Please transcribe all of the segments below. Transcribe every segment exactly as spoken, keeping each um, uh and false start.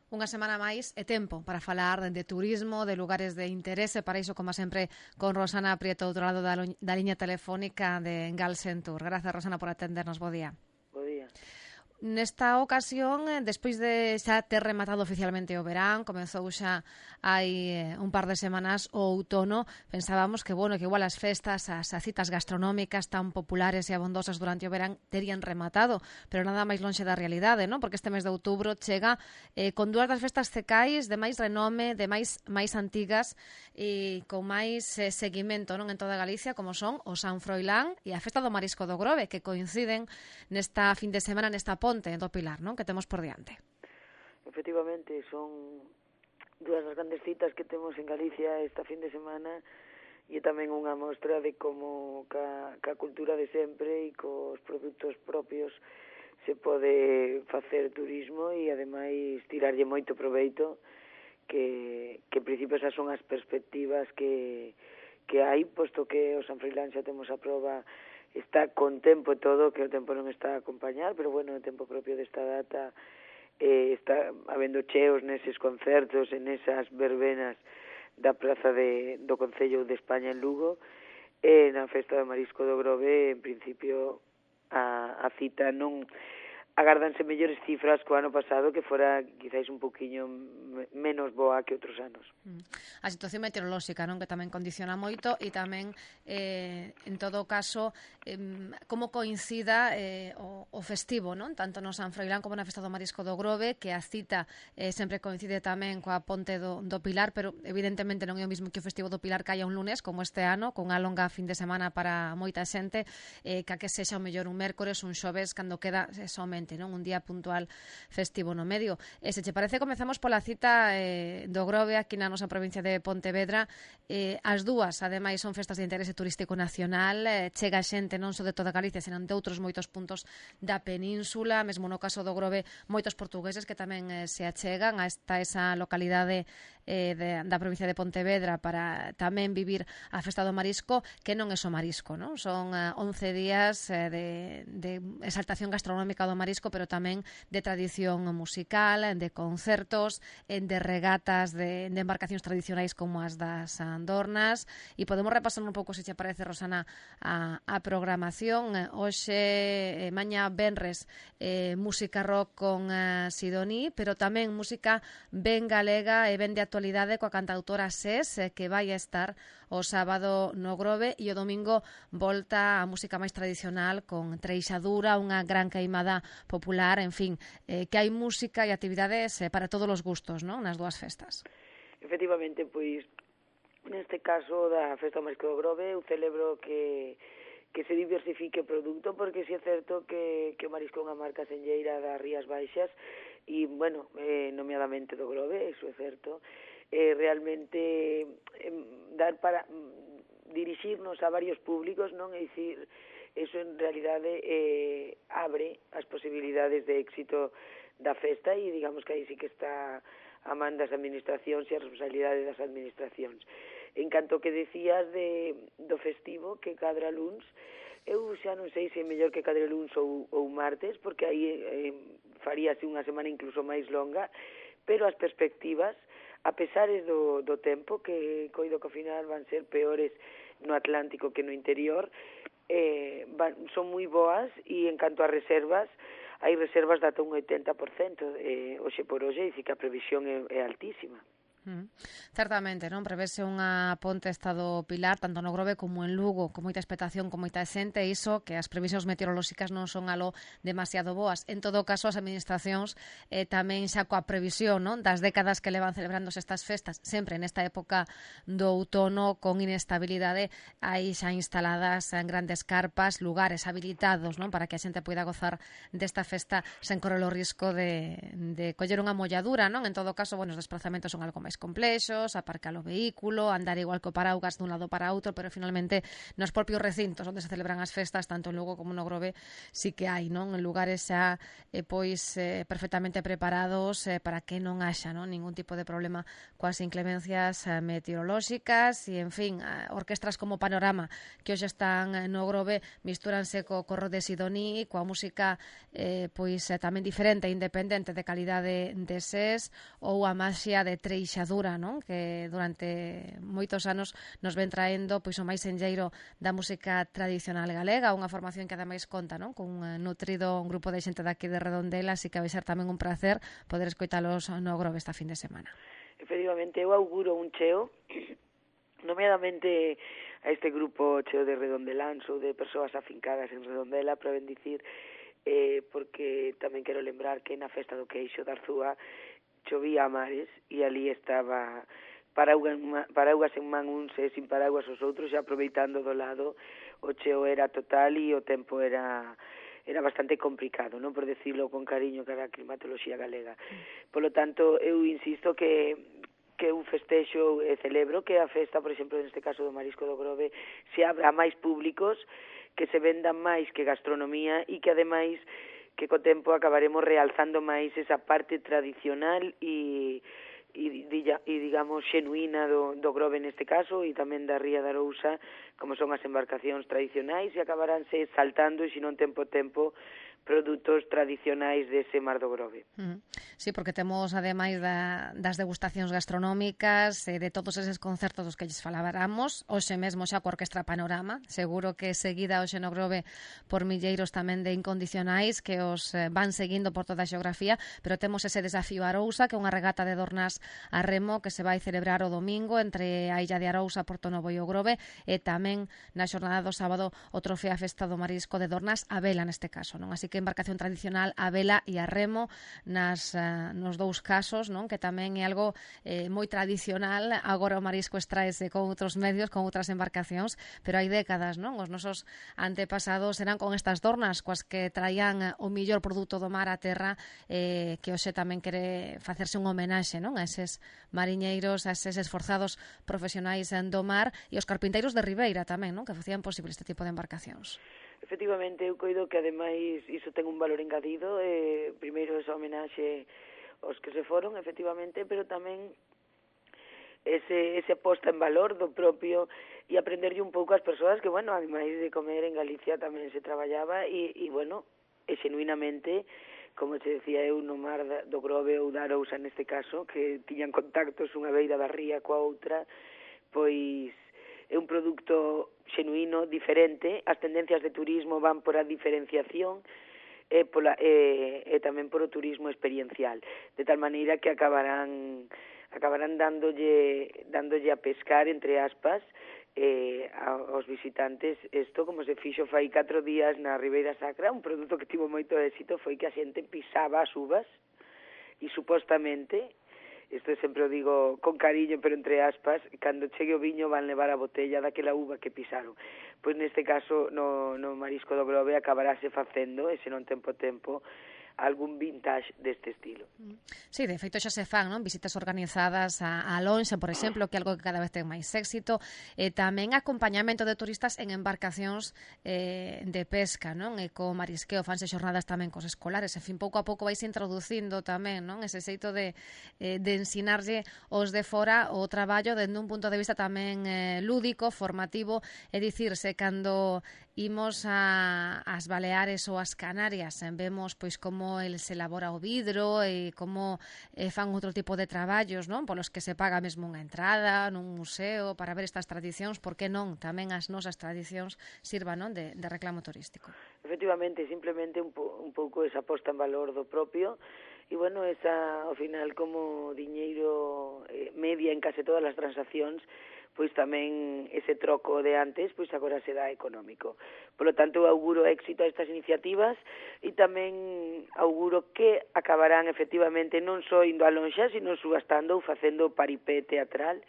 Unha semana máis é tempo para falar de turismo, de lugares de interese, para iso, como sempre, con Rosana Prieto, outro lado da, da liña telefónica de Galsen Tour. Grazas, Rosana, por atendernos. Bo día. Bo día. Nesta ocasión, despois de xa ter rematado oficialmente o verán, comezou xa hai un par de semanas o outono, pensábamos que, bueno, que igual as festas, as, as citas gastronómicas tan populares e abondosas durante o verán terían rematado, pero nada máis lonxe da realidade, non? Porque este mes de outubro chega eh, con dúas das festas cecais de máis renome, de máis máis antigas e con máis eh, seguimento, non, en toda Galicia, como son o San Froilán e a Festa do Marisco do Grove, que coinciden nesta fin de semana, nesta ponte do Pilar, non? Que temos por diante. Efectivamente, son dúas das grandes citas que temos en Galicia esta fin de semana e tamén unha mostra de como ca, ca cultura de sempre e cos produtos propios se pode facer turismo e ademais tirarlle moito proveito, que, que en principio esas son as perspectivas que, que hai, posto que o San Froilán xa temos a proba, está con tempo e todo, que o tempo non está a acompañar, pero bueno, o tempo propio desta data eh, está habendo cheos neses concertos, en esas verbenas da praza de, do Concello de España en Lugo, e na Festa do Marisco do Grove, en principio, a, a cita non agárdanse mellores cifras co ano pasado, que fora quizáis un poquinho menos boa que outros anos. A situación meteorolóxica, non, que tamén condiciona moito, e tamén, eh, en todo caso, eh, como coincida eh, o, o festivo, non, tanto no San Froilán como na Festa do Marisco do Grove, que a cita eh, sempre coincide tamén coa ponte do, do Pilar, pero evidentemente non é o mismo que o festivo do Pilar caia un lunes, como este ano, con unha longa fin de semana para moita xente, eh, que a que sexa o mellor un mércores, un xoves, cando queda eh, somente, non, un día puntual festivo no medio. E se che parece, comezamos pola cita eh, do Grove aquí na nosa provincia de Pontevedra. Eh, as dúas, ademais, son festas de interese turístico nacional, eh, chega xente non só de toda Galicia, senón de outros moitos puntos da península, mesmo no caso do Grove, moitos portugueses que tamén eh, se achegan a esta esa localidade eh, de, da provincia de Pontevedra para tamén vivir a Festa do Marisco, que non é só marisco, non? Son eh, once días eh, de, de exaltación gastronómica do marisco, pero tamén de tradición musical, de concertos, de regatas de, de embarcacións tradicionais como as das Andornas, e podemos repasar un pouco, se che parece, Rosana, a, a programación. Hoxe, eh, mañá venres, eh, música rock con eh, Sidoní, pero tamén música ben galega e ben de actualidade coa cantautora Sés, eh, que vai a estar o sábado no Grove, e o domingo volta a música máis tradicional con Treixadura, unha gran queimada popular, en fin, eh, que hai música e actividades eh, para todos os gustos, non, nas dúas festas. Efectivamente, pois, neste caso da Festa do Marisco do Grove, eu celebro que que se diversifique o produto, porque si é certo que, que o marisco é unha marca senlleira das Rías Baixas, e, bueno, eh, nomeadamente do Grove, eso é certo, eh, realmente eh, dar para dirixirnos a varios públicos, non? É dicir, eso en realidade eh, abre as posibilidades de éxito da festa, e digamos que aí sí que está a man das administracións e a responsabilidade das administracións. En canto que decías de, do festivo que cadra luns, eu xa non sei se é mellor que cadre luns ou, ou martes, porque aí eh, faríase unha semana incluso máis longa, pero as perspectivas, a pesares do, do tempo, que coido que ao final van ser peores no Atlántico que no interior, eh, van, son moi boas, e en canto a reservas, hai reservas de ata un oitenta por cento eh, hoxe por hoxe, e que a previsión é, é altísima. Mm. Certamente, non? Prevese unha ponte estado Pilar, tanto no Grove como en Lugo, con moita expectación, con moita xente, e iso que as previsións meteorolóxicas non son algo demasiado boas. En todo caso, as administracións eh, tamén xa coa previsión, non, das décadas que levan celebrándose estas festas, sempre nesta época do outono, con inestabilidade, hai xa instaladas en grandes carpas, lugares habilitados, non, para que a xente poida gozar desta festa sen correr o risco de, de coller unha molladura, non? En todo caso, bueno, os desplazamentos son algo máis máis complexos, aparcar o vehículo, andar igual co paraugas dun lado para outro, pero finalmente nos propios recintos onde se celebran as festas, tanto en Lugo como no Grove, sí que hai, non? En lugares xa eh, pois eh, perfectamente preparados eh, para que non haxa, non, ningún tipo de problema coas inclemencias eh, meteorolóxicas e, en fin, eh, orquestras como Panorama que hoxe están eh, no Grove mistúranse co corro de Sidoní, coa música eh, pois eh, tamén diferente e independente de calidade de ses ou a maxia de Treixadura, non? Que durante moitos anos nos ven traendo pois o máis enlleiro da música tradicional galega, unha formación que ademais conta, non? Con un nutrido un grupo de xente daqui de Redondela, así que vai ser tamén un placer poder escoitalos no Grove esta fin de semana. Efectivamente, eu auguro un cheo nomeadamente a este grupo cheo de redondeláns ou de persoas afincadas en Redondela, para ben dicir, eh, porque tamén quero lembrar que na festa do queixo da Arzúa chovía a mares e ali estaba paraugas, paraugas en man uns e sin paraguas os outros, e aproveitando do lado o cheo era total e o tempo era era bastante complicado, non, por decirlo con cariño, cara a climatoloxía galega. Por lo tanto, eu insisto que que un festexo e celebro que a festa, por exemplo, neste caso do Marisco do Grove, se abra a máis públicos, que se vendan máis que gastronomía e que, ademais, que co tempo acabaremos realzando máis esa parte tradicional e, e, e digamos, xenuína do, do Grove neste caso e tamén da Ría da Arousa, como son as embarcacións tradicionais, e acabaránse saltando, e se non tempo tempo, produtos tradicionais dese mar do Grove. Mm. Sí, porque temos, ademais da, das degustacións gastronómicas, eh, de todos eses concertos dos que lles faláramos, hoxe mesmo xa coa Orquestra Panorama, seguro que seguida hoxe no Grove por milleiros tamén de incondicionais que os eh, van seguindo por toda a xeografía, pero temos ese desafío Arousa, que é unha regata de dornas a remo que se vai celebrar o domingo entre a Illa de Arousa, Porto Novo e o Grove, e tamén na xornada do sábado o Trofeo a Festa do Marisco de Dornas a vela neste caso, non? Así que embarcación tradicional a vela e a remo nas, uh, nos dous casos, non? Que tamén é algo eh, moi tradicional. Agora o marisco extraese con outros medios, con outras embarcacións, pero hai décadas, non? Os nosos antepasados eran con estas dornas coas que traían o millor produto do mar á terra, eh, que hoxe tamén quere facerse un homenaxe, non? A eses mariñeiros, a eses esforzados profesionais do mar e os carpinteiros de Ribeira tamén, non? Que facían posible este tipo de embarcacións. Efectivamente, eu coido que ademais iso ten un valor engadido, eh, primeiro esa homenaxe aos que se foron, efectivamente, pero tamén ese, ese posta en valor do propio e aprenderlle un pouco ás persoas que, bueno, ademais de comer en Galicia tamén se traballaba e, e bueno, e xenuinamente, como te decía eu, no mar do Grove ou da Arousa neste caso, que tiñan contactos unha beira da ría coa outra, pois é un produto xenuíno, diferente, as tendencias de turismo van por a diferenciación e, pola, e, e tamén por o turismo experiencial, de tal maneira que acabarán acabarán dándolle, dándolle a pescar, entre aspas, eh, aos visitantes isto como se fixo fai catro días na Ribeira Sacra. Un produto que tivo moito éxito foi que a xente pisaba as uvas e supostamente, isto sempre o digo con cariño, pero entre aspas, cando chegue o viño van levar a botella daquela uva que pisaron. Pois neste caso, no, no Marisco do Grove acabaráse facendo, e se non tempo tempo, algún vintage deste estilo. Sí, de feito xa se fan, non? Visitas organizadas a, a Lonxa, por exemplo, que é algo que cada vez ten máis éxito, e tamén acompañamento de turistas en embarcacións eh, de pesca, non? E co marisqueo fanse xornadas tamén cos escolares, en fin, pouco a pouco vais introducindo tamén, non? Ese xeito de, eh, de ensinarlle os de fora o traballo dende un punto de vista tamén eh, lúdico, formativo, é dicirse, cando imos a, as Baleares ou as Canarias, vemos pois como el se elabora o vidro e como eh, fan outro tipo de traballos, non? Polos que se paga mesmo unha entrada nun museo para ver estas tradicións, por que non? Tamén as nosas tradicións sirvan, non? De, de reclamo turístico. Efectivamente, simplemente un, po, un pouco esa posta en valor do propio e, bueno, esa, ao final, como diñeiro eh, media en case todas as transaccións, pois tamén ese troco de antes, pois agora se dá económico. Por lo tanto, auguro éxito a estas iniciativas e tamén auguro que acabarán efectivamente non só indo a lonxa, sino subastando ou facendo paripé teatral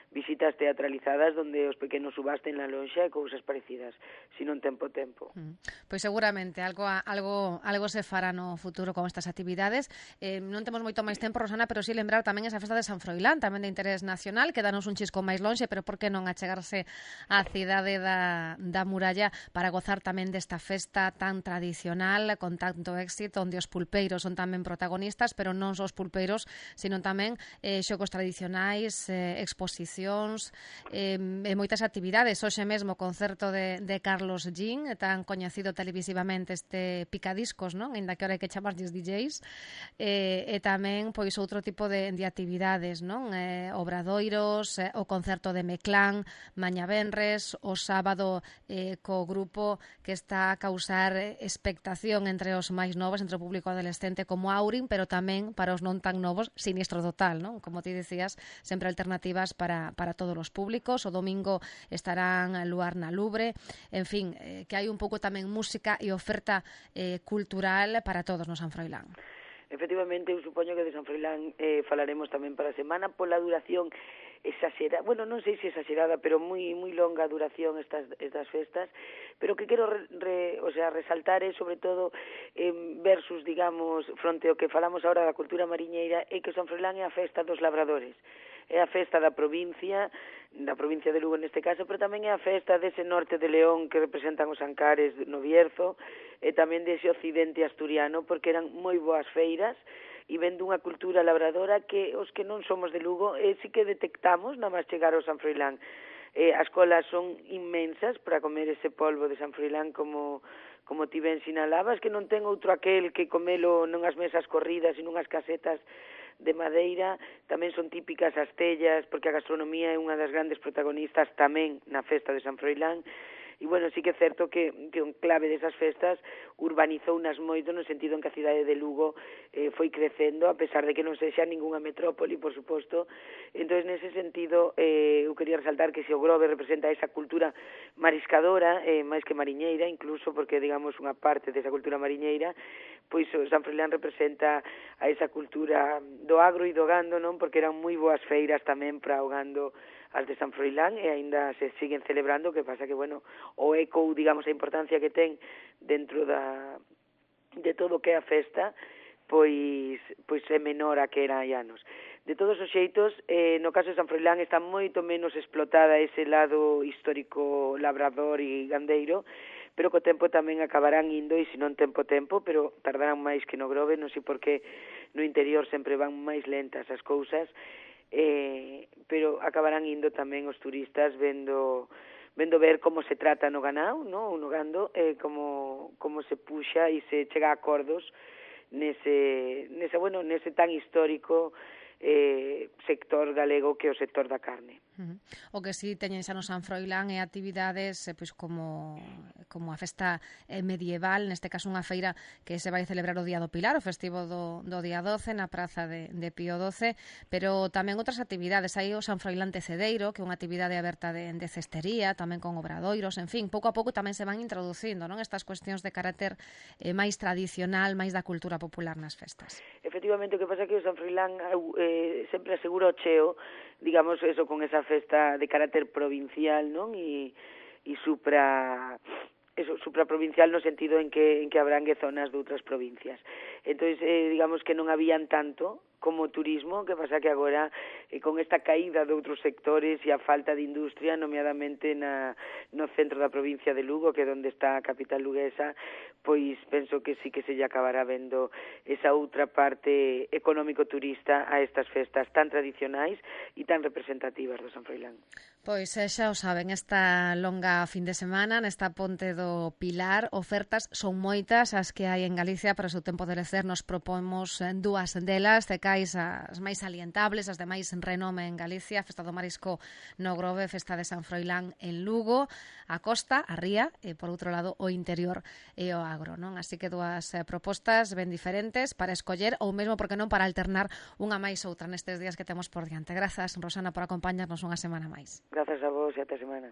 visitas teatralizadas donde os pequenos subasten na lonxa e cousas parecidas, sino en tempo tempo. Mm. Pois seguramente algo algo algo se fará no futuro con estas actividades. Eh, non temos moito máis tempo, Rosana, pero si lembrar tamén esa festa de San Froilán, tamén de interés nacional, que danos un chisco máis lonxe, pero por que non achegarse á cidade da, da muralla para gozar tamén desta festa tan tradicional, con tanto éxito, onde os pulpeiros son tamén protagonistas, pero non só os pulpeiros, sino tamén eh, xogos tradicionais, eh, exposicións, eh, e moitas actividades. Hoxe mesmo concerto de, de Carlos Jean, tan coñecido televisivamente este picadiscos, non? Ainda que ahora hai que chamarlles D Js, eh, e tamén pois outro tipo de, de actividades, non? Eh, obradoiros, eh, o concerto de Meclán, mañá venres, o sábado eh, co grupo que está a causar expectación entre os máis novos, entre o público adolescente como Aurin, pero tamén para os non tan novos, Sinistro Total, non? Como ti decías, sempre alternativas para, para todos os públicos. O domingo estarán Luar na Lubre, en fin, eh, que hai un pouco tamén música e oferta eh, cultural para todos no San Froilán. Efectivamente, eu supoño que de San Froilán eh, falaremos tamén para a semana pola duración exagerada, bueno, non sei se exagerada, pero moi moi longa duración estas estas festas, pero que quero re, re, o sea, resaltar é sobre todo eh, versus, digamos, fronte ao que falamos agora da cultura mariñeira, é que San Froilán é a festa dos labradores. É a festa da provincia, da provincia de Lugo neste caso, pero tamén é a festa dese norte de León que representan os Ancares no Bierzo, e tamén dese occidente asturiano, porque eran moi boas feiras, e ven dunha cultura labradora que os que non somos de Lugo eh, sí que detectamos na máis chegar ao San Froilán. Eh, as colas son inmensas para comer ese polvo de San Froilán, como como ti ben sinalabas, que non ten outro aquel que comelo non as mesas corridas e nunhas casetas de madeira. Tamén son típicas as tellas, porque a gastronomía é unha das grandes protagonistas tamén na festa de San Froilán. E, bueno, sí que é certo que, que un clave desas festas urbanizounas moito no sentido en que a cidade de Lugo eh, foi crecendo, a pesar de que non sexa ningunha metrópoli, por suposto. Entón, nese sentido, eh, eu quería resaltar que se o Grove representa esa cultura mariscadora, eh, máis que mariñeira, incluso porque, digamos, unha parte desa cultura mariñeira, pois o San Froilán representa a esa cultura do agro e do gando, non? Porque eran moi boas feiras tamén para o gando as de San Froilán, e aínda se siguen celebrando, que pasa que, bueno, o eco, digamos, a importancia que ten dentro da de todo o que é a festa, pois pois é menor a que era hai anos. De todos os xeitos, eh, no caso de San Froilán está moito menos explotada ese lado histórico labrador e gandeiro, pero co tempo tamén acabarán indo, e se non tempo tempo, pero tardarán máis que no Grove, non sei por que no interior sempre van máis lentas as cousas, eh, pero acabarán indo tamén os turistas vendo vendo ver como se trata no ganao, no, no gando, eh, como como se puxa e se chega a acordos nese nese bueno, nese tan histórico eh, sector galego que é o sector da carne. Uh-huh. O que si teñen xa no San Froilán é actividades eh, pois como como a festa eh, medieval, neste caso unha feira que se vai celebrar o Día do Pilar, o festivo do, do día doce na praza de, de Pío doce, pero tamén outras actividades. Hai o San Froilán Tecedeiro, que é unha actividade aberta de, de cestería, tamén con obradoiros, en fin, pouco a pouco tamén se van introducindo, non, estas cuestións de carácter eh, máis tradicional, máis da cultura popular nas festas. Efectivamente, o que pasa é que o San Froilán eh, sempre asegura o cheo, digamos, eso, con esa festa de carácter provincial, non? E, e supra eso, supraprovincial no sentido en que en que abrangue zonas de outras provincias. Entón, eh, digamos que non habían tanto como turismo, que pasa que agora eh, con esta caída de outros sectores e a falta de industria, nomeadamente na, no centro da provincia de Lugo, que é onde está a capital luguesa, pois penso que sí que se lle acabará vendo esa outra parte económico-turista a estas festas tan tradicionais e tan representativas do San Froilán. Pois xa o saben, esta longa fin de semana, nesta ponte do Pilar, ofertas son moitas as que hai en Galicia para o seu tempo de lecer. Nos propomos dúas delas, de cais as máis salientables, as de máis renome en Galicia, Festa do Marisco no Grove, Festa de San Froilán en Lugo, a costa, a ría, e por outro lado o interior e o agro, non? Así que dúas eh, propostas ben diferentes para escoller, ou mesmo, porque non, para alternar unha máis outra nestes días que temos por diante. Grazas, Rosana, por acompañarnos unha semana máis. Grazas a vos e ata semana.